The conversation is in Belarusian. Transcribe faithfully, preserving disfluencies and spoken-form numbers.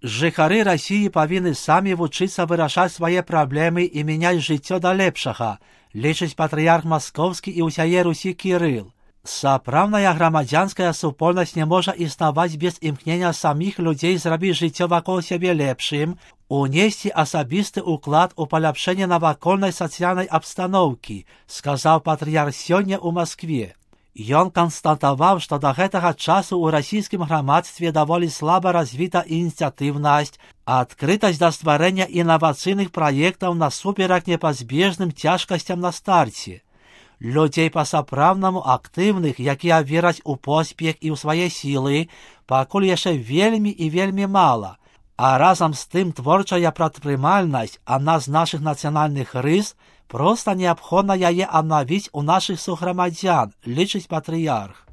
Жыхары России павінны самі вучыцца вырашаць свае праблемы і мяняць жыццё да лепшага, лічыць патрыярх Маскоўскі і ўсяе Русі Кірыл. Сапраўдная грамадзянская супольнасць не можа існаваць без імкнення саміх людзей зрабіць жыццё вакол сябе лепшым, унесці асабісты ўклад у паляпшэнне навакольнай сацыяльнай абстаноўкі, сказаў патрыярх сёння ў Маскве. Ён канстатаваў, што да гэтага часу ў расійскім грамадстве даволі слаба развіта ініцыятыўнасць, адкрытасць да стварэння інавацыйных праектаў насуперак непазбежным цяжкасцям на старце. Людзей па-сапраўднаму актыўных, якія вераць у поспех і ў свае сілы, пакуль яшчэ вельмі і вельмі мала. А разам з тым творчая прадпрымальнасць, адна з нашых нацыянальных рыс, проста неабходна яе аднавіць у нашых суграмадзян, лічыць патрыярх.